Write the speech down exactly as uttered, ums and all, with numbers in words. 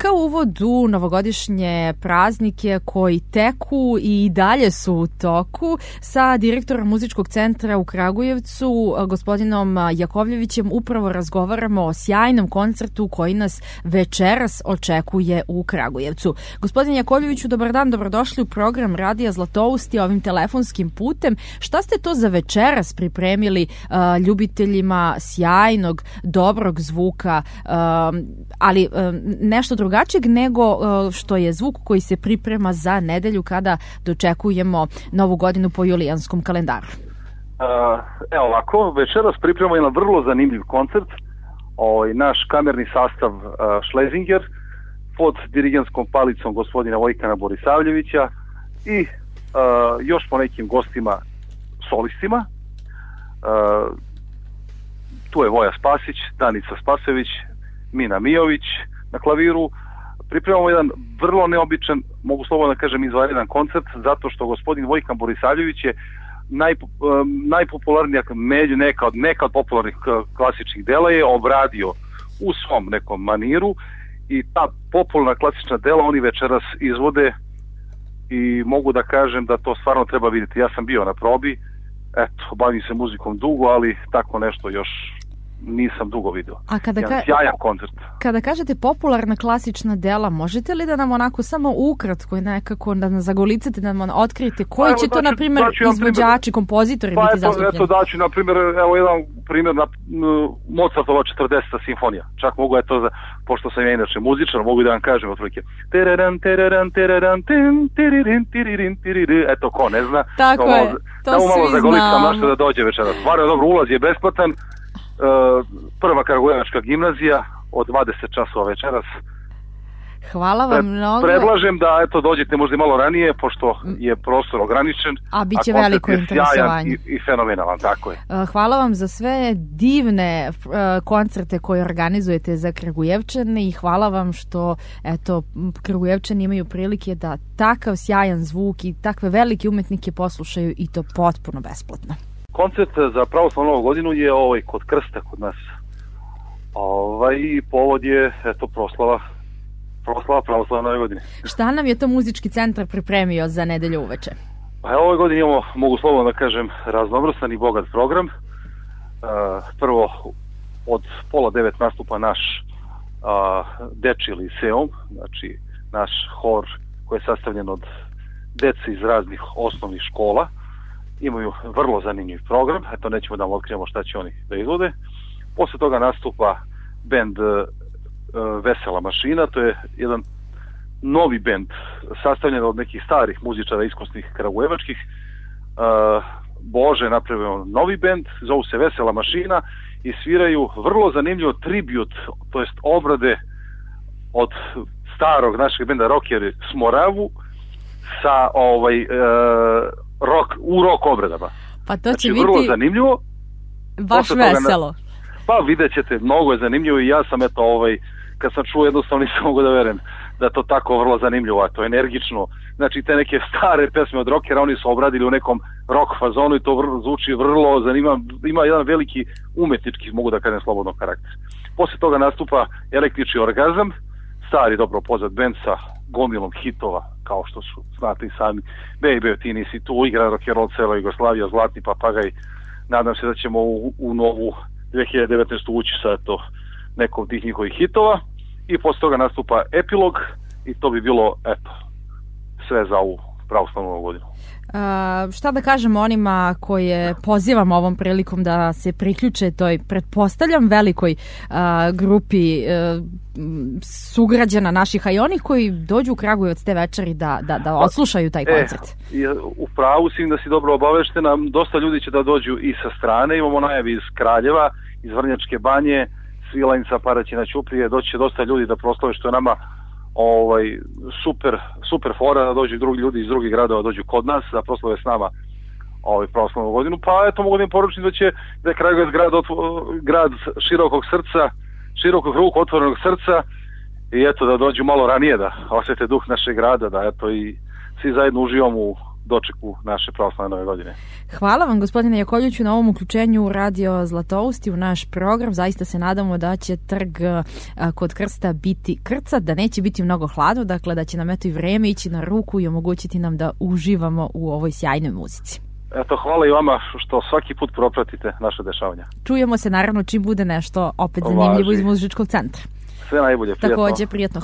Kakav uvod u novogodišnje praznike koji teku i dalje su u toku sa direktorom Muzičkog centra u Kragujevcu, gospodinom Jakovljevićem, upravo razgovaramo o sjajnom koncertu koji nas večeras očekuje u Kragujevcu. Gospodin Jakovljeviću, dobar dan, dobrodošli u program Radija Zlatousti ovim telefonskim putem. Šta ste to za večeras pripremili uh, ljubiteljima sjajnog, dobrog zvuka, uh, ali uh, nešto drugačijeg nego uh, što je zvuk koji se priprema za nedelju kada dočekujemo Novu godinu po julijanskom kalendaru? Uh, evo ovako, večeras pripremamo jedan vrlo zanimljiv koncert. Ovaj, naš kamerni sastav uh, Schlesinger pod dirigentskom palicom gospodina Vojkana Borisavljevića i uh, još po nekim gostima solistima. Uh, tu je Voja Spasić, Danica Spasojević, Mina Mijović na klaviru. Pripremamo jedan vrlo neobičan, mogu slobodno da kažem izvanredan koncert, zato što gospodin Vojkan Borisavljević je naj, najpopularnija, među neka od, neka od popularnih klasičnih dela je obradio u svom nekom maniru i ta popularna klasična dela oni večeras izvode i mogu da kažem da to stvarno treba vidjeti. Ja sam bio na probi, eto, bavim se muzikom dugo, ali tako nešto još nisam dugo vidio. A kada jedan ka... sjajan koncert. Kada kažete popularna klasična dela, možete li da nam onako samo ukratko i nekako da nas zagolicate, da nam otkrijete koji pa, će evo, to, daću, na primjer, izvođači, kompozitori pa, biti eto, zastupljeni? Eto daću, na primjer, evo jedan primjer na Mozartova četrdeseta simfonija. Čak mogu, eto, za, pošto sam ja inače muzičar, mogu da vam kažem otprilike. Teraran, teraran, teraran, tin, tiririn, tiririn, tiririn. Eto, ko ne zna. Tako da, je, to da, svi malo znamo. Našto da dođe večeras. Stvarno dobro, ulaz je besplatan. Uh, prva Kragujevačka gimnazija od dvadeset časova večeras. Hvala vam mnogo. Predlažem da eto dođete možda i malo ranije, pošto je prostor ograničen. A bit će a veliko interesovanje. I, i fenomenalan, tako je. Hvala vam za sve divne uh, koncerte koje organizujete za Kragujevčane i hvala vam što eto, Kragujevčani imaju prilike da takav sjajan zvuk i takve velike umetnike poslušaju i to potpuno besplatno. Koncert za pravoslavnu novu godinu je ovaj kod Krsta kod nas. Ovaj povod je eto proslava proslava pravoslavne nove godine. Šta nam je to muzički centar pripremio za nedelju uveče? Pa ove godine imamo, mogu slobodno da kažem, raznovrstan i bogat program. Uh, prvo od pola devet nastupa naš uh, dečiji liceum, znači naš hor koji je sastavljen od dece iz raznih osnovnih škola. Imaju vrlo zanimljiv program, eto nećemo da vam otkrijemo šta će oni da izvode. Posle toga nastupa bend uh, Vesela mašina, to je jedan novi bend sastavljen od nekih starih muzičara iskusnih kragujevačkih. Uh, Bože napravio novi bend, zovu se Vesela mašina i sviraju vrlo zanimljivo tribut, to jest obrade od starog našeg benda Rockeri Smoravu sa ovaj uh, rock, u rock obradama. Pa to znači, će biti vrlo zanimljivo. baš veselo. Na, pa vidjet ćete, mnogo je zanimljivo i ja sam eto ovaj, kad sam čuo jednostavno nisam mogu da verujem da to tako vrlo zanimljivo, a to je energično. Znači te neke stare pesme od rockera oni su obradili u nekom rock fazonu i to vrlo, zvuči vrlo zanimljivo, ima jedan veliki umetnički, mogu da kažem, slobodno karakter. Posle toga nastupa Električni orgazam, stari dobro poznat bend sa gomilom hitova, kao što su, znate i sami, Baby, ti nisi tu, igra rock'n'roll cela Jugoslavija, Zlatni papagaj. Nadam se da ćemo u, u novu dve hiljade devetnaestu ući sa to nekom tih njihovih hitova i posle toga nastupa epilog i to bi bilo, eto, sve za ovu pravoslavnu godinu. Uh, šta da kažemo onima koje pozivam ovom prilikom da se priključe toj, pretpostavljam, velikoj uh, grupi uh, sugrađana naših, a i onih koji dođu u Kragujevac te večeri da, da, da odslušaju taj koncert? E, u pravu si da si dobro obaveštena, dosta ljudi će da dođu i sa strane, imamo najavi iz Kraljeva, iz Vrnjačke banje, Svilajnica, Paraćina, Ćuprije, doći će dosta ljudi da proslave, što je nama ovaj super super fora da dođu drugi ljudi iz drugih gradova dođu kod nas da proslave s nama ovaj pravoslavnu godinu. Pa eto mogu da im poručim da će da je Kragujevac grad grad širokog srca, širokog ruku, otvorenog srca i eto da dođu malo ranije da osjete duh našeg grada, da eto i svi zajedno uživamo u dočeku naše pravoslavne nove godine. Hvala vam, gospodine Jakovljeviću, na ovom uključenju u Radio Zlatousti u naš program. Zaista se nadamo da će trg kod Krsta biti krcat, da neće biti mnogo hladno, dakle da će nam eto i vreme ići na ruku i omogućiti nam da uživamo u ovoj sjajnoj muzici. Eto, hvala i vama što svaki put propratite naše dešavanja. Čujemo se naravno čim bude nešto opet zanimljivo iz muzičkog centra. Sve najbolje, prijatno. Takođe, prijatno.